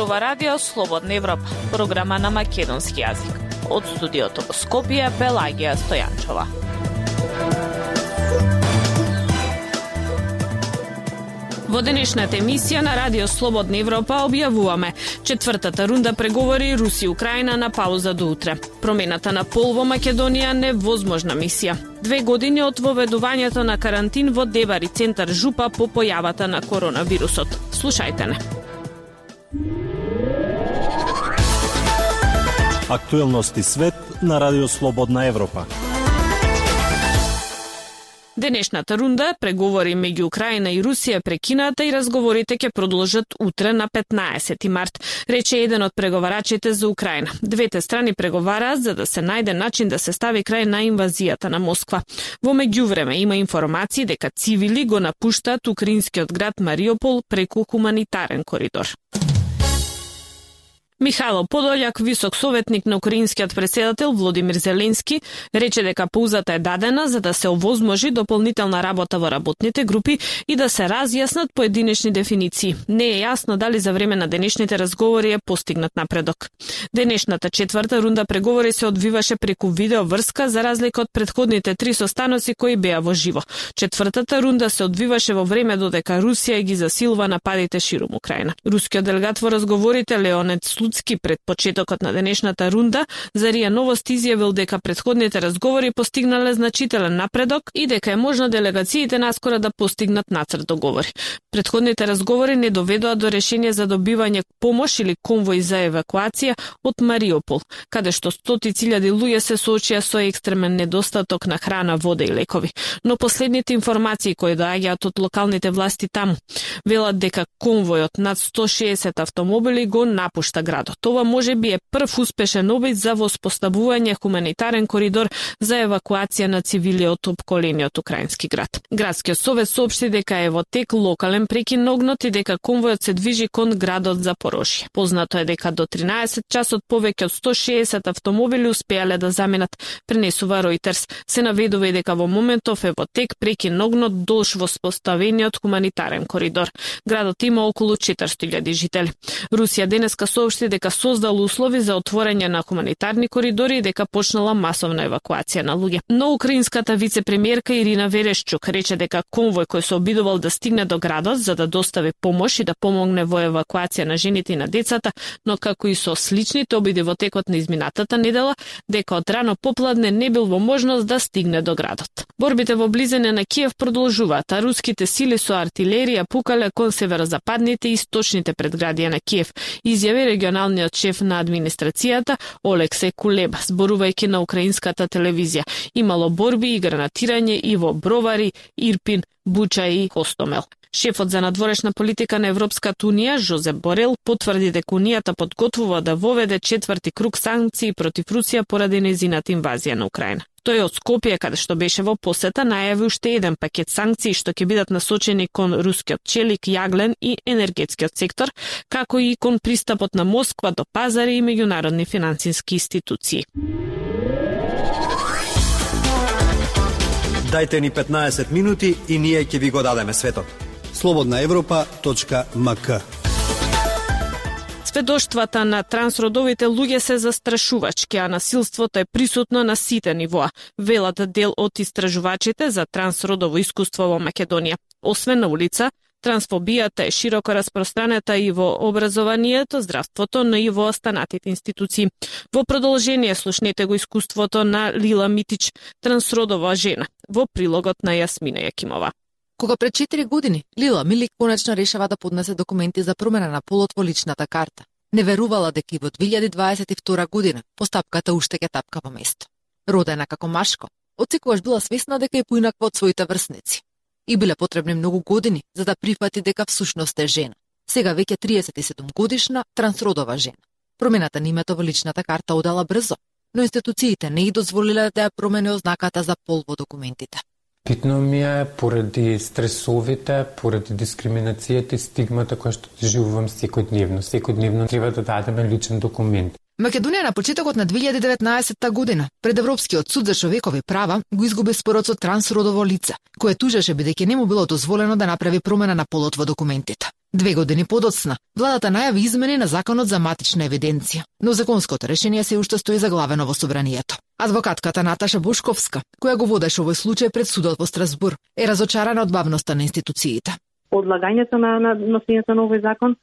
зборува Радио Слободна Европа, програма на македонски јазик. Од студиото во Скопје, Пелагија Стојанчова. Во денешната емисија на Радио Слободна Европа објавуваме четвртата рунда преговори Русија и Украина на пауза до утре. Промената на пол во Македонија невозможна мисија. 2 години од воведувањето на карантин во Дебари центар Жупа по појавата на коронавирусот. Слушајте не. Актуелности свет на Радио Слободна Европа. Денешната рунда преговори меѓу Украина и Русија прекината и разговорите ќе продолжат утре на 15 март, рече еден од преговарачите за Украина. Двете страни преговараат за да се најде начин да се стави крај на инвазијата на Москва. Во меѓувреме има информации дека цивили го напуштаат украинскиот град Мариупол преку хуманитарен коридор. Михајло Подољак, висок советник на украинскиот претседател Володимир Зеленски, рече дека паузата е дадена за да се овозможи дополнителна работа во работните групи и да се разјаснат поединечни дефиниции. Не е јасно дали за време на денешните разговори е постигнат напредок. Денешната четврта рунда преговори се одвиваше преку видеоврска за разлика од претходните 3 состаноци кои беа во живо. Четвртата рунда се одвиваше во време додека Русија ги засилува нападите ширум Украина. Рускиот делегат во разговорите Леонид Слуцки пред почетокот на денешната рунда за РИА Новости изјавил дека претходните разговори постигнале значителен напредок и дека е можно делегациите наскоро да постигнат нацрт договори. Претходните разговори не доведоа до решение за добивање помош или конвој за евакуација од Мариупол, каде што стотици илјади луѓе се соочија со екстремен недостаток на храна, вода и лекови. Но последните информации кои доаѓаат од локалните власти таму велат дека конвојот над 160 автомобили го напушта градот. Ова можеби е прв успешен обид за воспоставување хуманитарен коридор за евакуација на цивили од опколениот украински град. Градскиот совет соопшти дека е во тек локален прекин на огнот и дека конвојот се движи кон градот Запорожје. Познато е дека до 13 часот повеќе од 160 автомобили успеале да заминат, пренесува Reuters. Се наведува и дека во моментов е во тек прекин на огнот долж воспоставениот хуманитарен коридор. Градот има околу 400.000 жители. Русија денеска соопшти дека создал услови за отворање на хуманитарни коридори и дека почнала масовна евакуација на луѓе. Но украинската вице-премиерка Ирина Верешчук рече дека конвој кој се обидувал да стигне до градот за да достави помош и да помогне во евакуација на жените и на децата, но како и со сличните обиди во текот на изминатата недела, дека од рано попладне не бил во можност да стигне до градот. Борбите во близина на Киев продолжуваат, а руските сили со артилерија пукале кон северозападните и источните предградија на Киев, изјави регионалниот шеф на администрацијата Олексеј Кулеба, зборувајќи на украинската телевизија. Имало борби и гранатирање и во Бровари, Ирпин, Буча и Хостомел. Шефот за надворешна политика на Европската унија, Жозеп Борел, потврди дека унијата подготвува да воведе 4ти круг санкции против Русија поради нејзината инвазија на Украина. Тој од Скопје, каде што беше во посета, најави уште еден пакет санкции што ќе бидат насочени кон рускиот челик, јаглен и енергетскиот сектор, како и кон пристапот на Москва до пазари и меѓународни финансиски институции. Дајте ни 15 минути и ние ќе ви го дадеме светот. slobodnaevropa.mk. Сведоштвата на трансродовите луѓе се застрашувачки, а насилството е присутно на сите нивоа, велат дел од истражувачите за трансродово искуство во Македонија. Освен на улица, трансфобијата е широко распространета и во образованието, здравството, но и во останатите институции. Во продолжение слушнете го искуството на Лила Митич, трансродова жена, во прилогот на Јасмина Јакимова. Кога пред 4 години Лила Милик конечно решава да поднесе документи за промена на полот во личната карта. Не верувала дека и во 2022 година постапката уште ќе тапка во место. Родена како машко, отсекогаш била свесна дека е поинаква од своите врсници. И биле потребни многу години за да прифати дека всушност е жена. Сега веќе 37 годишна трансродова жена. Промената на името во личната карта одела брзо, но институциите не и дозволиле да ја промени ознаката за пол во документите. Битно ми е поради стресовите, поради дискриминацијата и стигмата која што живувам секојдневно. Секојдневно треба да дадеме личен документ. Македонија на почетокот на 2019 година пред Европскиот суд за човекови права го изгуби спорот со трансродово лице, кое тужеше бидејќи не му било дозволено да направи промена на полот во документите. 2 години подоцна, владата најави измени на законот за матична евиденција, но законското решение се уште стои заглавено во собранието. Адвокатката Наташа Бошковска, која го водеше овој случај пред судот во Страсбур, е разочарана од бавноста на институциите. Одлагањето на носењето на овој закон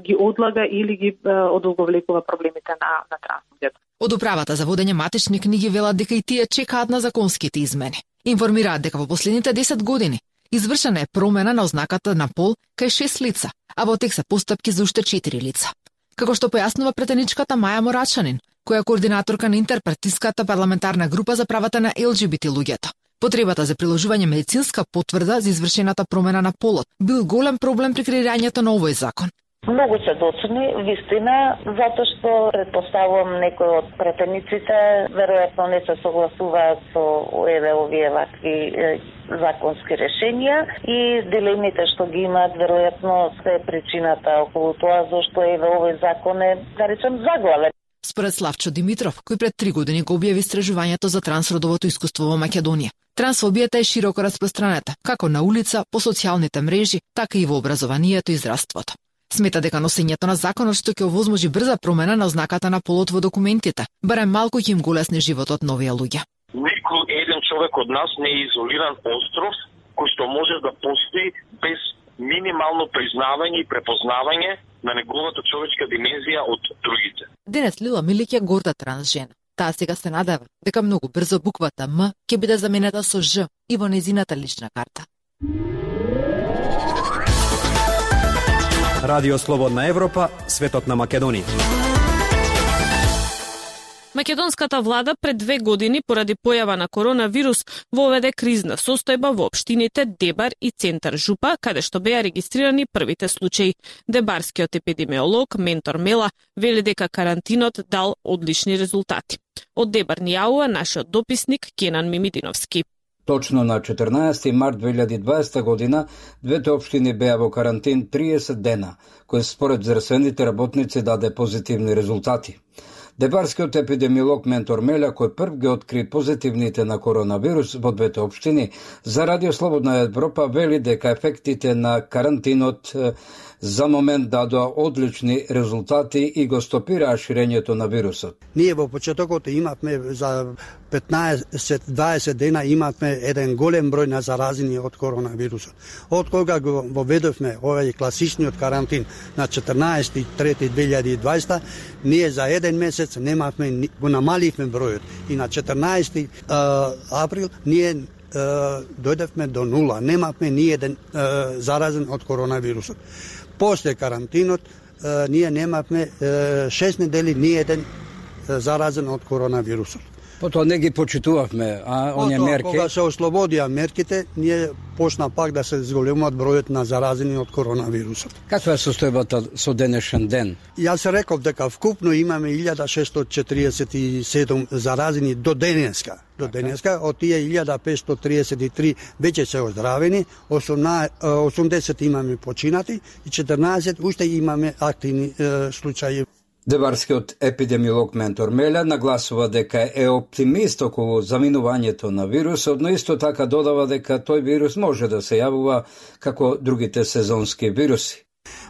ги одлага или ги одолговлекува проблемите на трансфузијата. Од управата за водење матични книги велат дека и тие чекаат на законските измени. Информираат дека во последните 10 години извршена е промена на ознаката на пол кај 6 лица, а во тек се постапки за уште 4 лица. Како што појаснува претеничката Маја Морачанин, која е координаторка на интерпартиската парламентарна група за правата на ЛГБТ луѓето. Потребата за приложување медицинска потврда за извршената промена на полот бил голем проблем при креирањето на овој закон. Многу се доцни, вистина, затоа што предпоставувам некои од претениците веројатно не се согласуваат со овие вакви законски решенија и дилемите што ги имаат веројатно се причината околу тоа зашто овој закон е, да речем, заглавен. Според Славчо Димитров, кој пред 3 години го објави истражувањето за трансродовото искуство во Македонија, трансфобијата е широко распространета, како на улица, по социјалните мрежи, така и во образованието и здравството. Смета дека носењето на законот што ќе овозможи брза промена на ознаката на полот во документите, барем малку ќе им го улесни животот на овие луѓе. Никој еден човек од нас не е изолиран остров кој што може да постои без минимално признавање и препознавање на неговата човечка димензија од другите. Денес Лила Милик е горда транс жена. Таа сега се надева дека многу брзо буквата М ќе биде заменета со Ж и во нејзината лична карта. Радио Слободна Европа, светот на Македонија. Македонската влада пред 2 години поради појава на коронавирус воведе кризна состојба во општините Дебар и Центар Жупа, каде што беа регистрирани првите случаи. Дебарскиот епидемиолог Ментор Мела вели дека карантинот дал одлични резултати. Од Дебар ни јавува нашиот дописник Кенан Мимидиновски. Точно на 14 март 2020 година, двете општини беа во карантин 30 дена, кој според здравствените работници даде позитивни резултати. Дебарскиот епидемиолог Ментор Меля, кој прв ги откри позитивните на коронавирус во двете општини, за Радио Слободна Европа вели дека ефектите на карантинот за момент дадоа одлични резултати и го стопираа ширењето на вирусот. Ние во почетокот имавме за 15-20 дена имавме еден голем број на заразени од коронавирусот. Од кога го воведовме овој класичниот карантин на 14.3.2020, ние за еден месец немавме, го намаливме бројот и на 14 април ние дојдевме до нула, немавме ни еден заразен од коронавирусот. После карантинот ние немавме 6 недели ни еден заразен од коронавирусот. Потоа не ги почитувавме, оние мерки. Кога се ослободија мерките, ние почна пак да се зголемуваат бројот на заразени од коронавирусот. Каква е состојбата со денешен ден? Јас реков дека вкупно имаме 1647 заразени до денеска. До денеска, од тие 1533 веќе се оздравени, 80 имаме починати и 14 уште имаме активни случаи. Дебарскиот епидемиолог Ментор Меля нагласува дека е оптимист околу заминувањето на вирусот, но исто така додава дека тој вирус може да се јавува како другите сезонски вируси.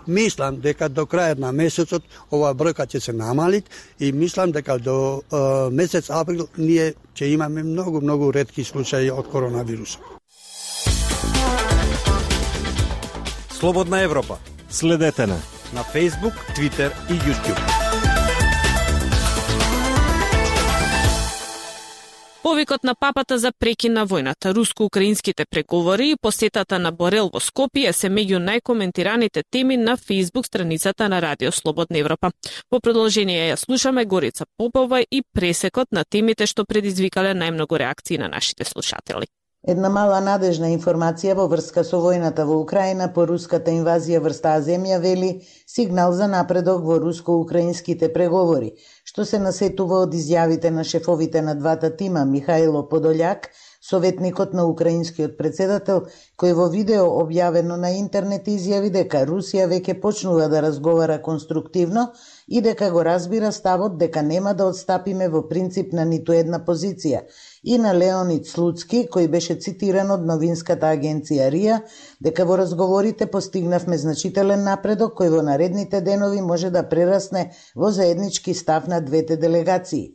Мислам дека до крајот на месецот ова бројка ќе се намали и мислам дека до месец април ние ќе имаме многу ретки случаи од коронавирусот. Слободна Европа. Следете на Facebook, Twitter и YouTube. Повикот на папата за прекин на војната, руско-украинските преговори и посетата на Борел во Скопје се меѓу најкоментираните теми на Facebook страницата на Радио Слободна Европа. По продолжение ја слушаме Горица Попова и пресекот на темите што предизвикале најмногу реакции на нашите слушатели. Една мала надежна информација во врска со војната во Украина по руската инвазија врз таа земја вели сигнал за напредок во руско-украинските преговори, што се насетува од изјавите на шефовите на двата тима Михајло Подољак Советникот на украинскиот председател, кој во видео објавено на интернет изјави дека Русија веќе почнува да разговара конструктивно и дека го разбира ставот дека нема да отстапиме во принцип на ниту една позиција, и на Леонид Слуцки, кој беше цитиран од новинската агенција РИА, дека во разговорите постигнавме значителен напредок кој во наредните денови може да прерасне во заеднички став на двете делегации.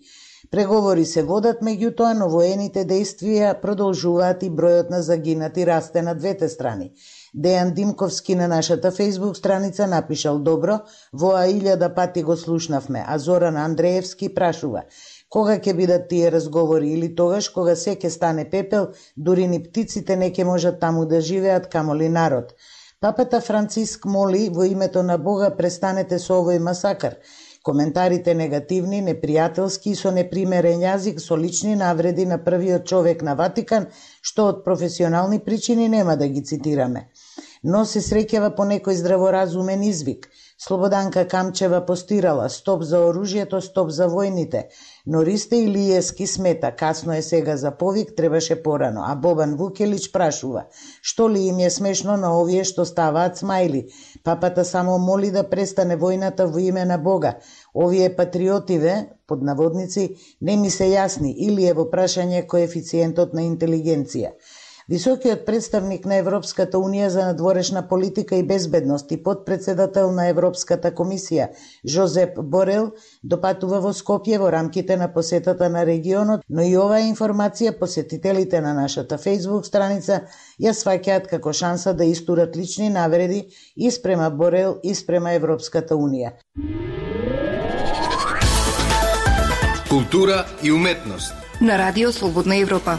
Преговори се водат, меѓутоа, но воените действија продолжуваат и бројот на загинати расте на двете страни. Дејан Димковски на нашата фејсбук страница напишал: добро, воа 1000 пати го слушнавме, а Зоран Андреевски прашува: кога ќе бидат тие разговори, или тогаш кога се ќе стане пепел, дури ни птиците не ќе можат таму да живеат, камоли народ. Папата Франциск моли: во името на Бога престанете со овој масакар. Коментарите негативни, непријателски и со непримерен јазик, со лични навреди на првиот човек на Ватикан, што од професионални причини нема да ги цитираме. Но се среќава по некој здраворазумен извик. Слободанка Камчева постирала: стоп за оружјето, стоп за војните. Но Ристе Илиевски смета: касно е сега за повик, требаше порано. А Бобан Вукелич прашува: што ли им е смешно на овие што ставаат смајли? Папата само моли да престане војната во име на Бога. Овие патриотиве, под наводници, не ми се јасни, или е во прашање коефициентот на интелигенција. Високиот представник на Европската Унија за надворешна политика и безбедност и подпредседател на Европската комисија Жозеп Борел допатува во Скопје во рамките на посетата на регионот, но и оваа информација посетителите на нашата фејсбук страница ја сваќаат како шанса да истурат лични навреди и спрема Борел и спрема Европската Унија. Култура и уметност на Радио Слободна Европа.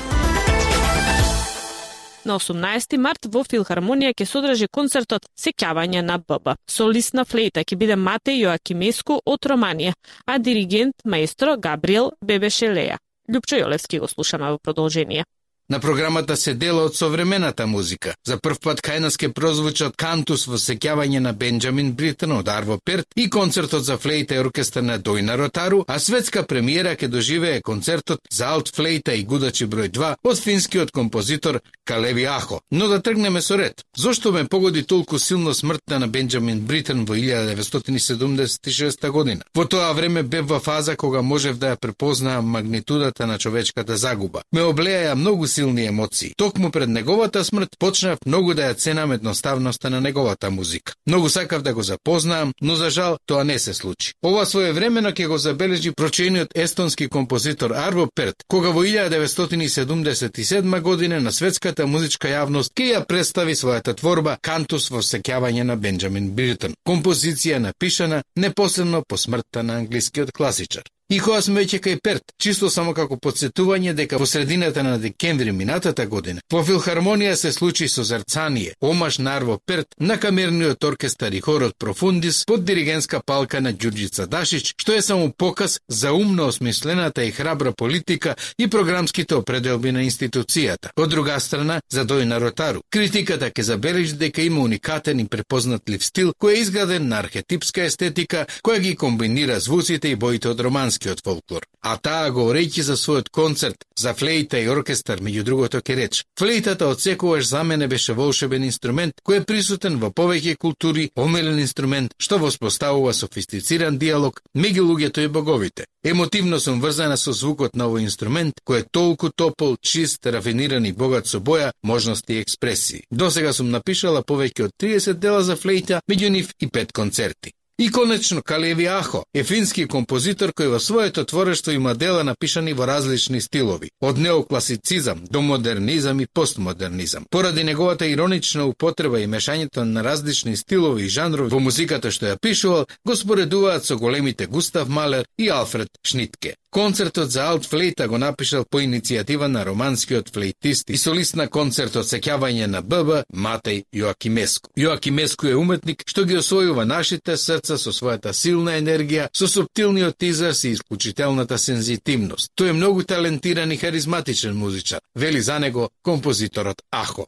На 18 март во Филхармонија ќе се одржи концертот Сеќавање на ББ. Солист на флейта ќе биде Матеј Јоакимеску од Романија, а диригент маестро Габриел Бебешелеја. Љупчо Јолевски го слушаме во продолжение. На програмата се дела од современата музика. За прв пат кај нас ќе прозвучат Кантус во сеќавање на Бенџамин Бритен од Арво Перт и концертот за флейта и оркестар на Дојна Ротару, а светска премиера ќе доживее концертот за алт флейта и гудачи број 2 од финскиот композитор Калеви Ахо. Но да тргнеме со ред. Зошто ме погоди толку силно смртта на Бенџамин Бритен во 1976 година? Во тоа време бев во фаза кога можев да ја препознаам магнитудата на човечката загуба. Ме облеја многу силни емоции. Токму пред неговата смрт почнав многу да ја ценам едноставноста на неговата музика. Многу сакав да го запознаам, но за жал тоа не се случи. Ова своевремено ќе го забележи прочениот естонски композитор Арво Перт, кога во 1977 година на светската музичка јавност ќе ја представи својата творба Кантус во сеќавање на Бенџамин Бритен, композиција напишана непосредно по смртта на англискиот класичар. И кога сме веќе кај Перт, чисто само како подсетување дека во средината на декември минатата година во Филхармонија се случи созерцание, омаш на Арво Перт на камерниот оркестар и хорот Профундис под диригентска палка на Ѓурѓица Дашич, што е само показ за умно осмислената и храбра политика и програмските определби на институцијата. Од друга страна, за Дојна Ротару, критиката ќе забележи дека има уникатен и препознатлив стил кој е изграден на архетипска естетика која ги комбинира звуците и боите од романски фолклор. А таа говорејќи за својот концерт за флейта и оркестар, меѓу другото ќе рече: флейтата од секогаш за мене беше волшебен инструмент кој е присутен во повеќе култури, омилен инструмент што воспоставува софистициран диалог меѓу луѓето и боговите. Емотивно сум врзана со звукот на овој инструмент кој е толку топол, чист, рафиниран и богат со боја, можности и експресии. Досега сум напишала повеќе од 30 дела за флейта, меѓу нив и 5 концерти. И конечно, Калеви Ахо е фински композитор кој во своето творештво има дела напишани во различни стилови, од неокласицизам до модернизам и постмодернизам. Поради неговата иронична употреба и мешањето на различни стилови и жанрови во музиката што ја пишувал, го споредуваат со големите Густав Малер и Алфред Шнитке. Концертот за алт флейта го напишал по иницијатива на романскиот флейтист и солист на концертот Сеќавање на ББ Матеј Јоакимеску. Јоакимеску е уметник што ги освојува нашите срца со својата силна енергија, со суптилниот израз и исклучителната сензитивност. Тој е многу талентиран и харизматичен музичар, вели за него композиторот Ахо.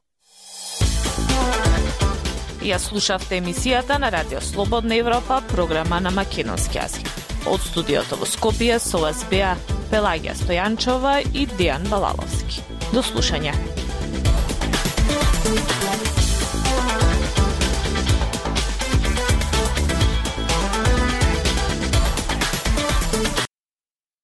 Ја слушавте емисијата на Радио Слободна Европа, програма на македонски јазик. Од студиото во Скопје со вас беа Пелагија Стојанчова и Дејан Балаловски. До слушање.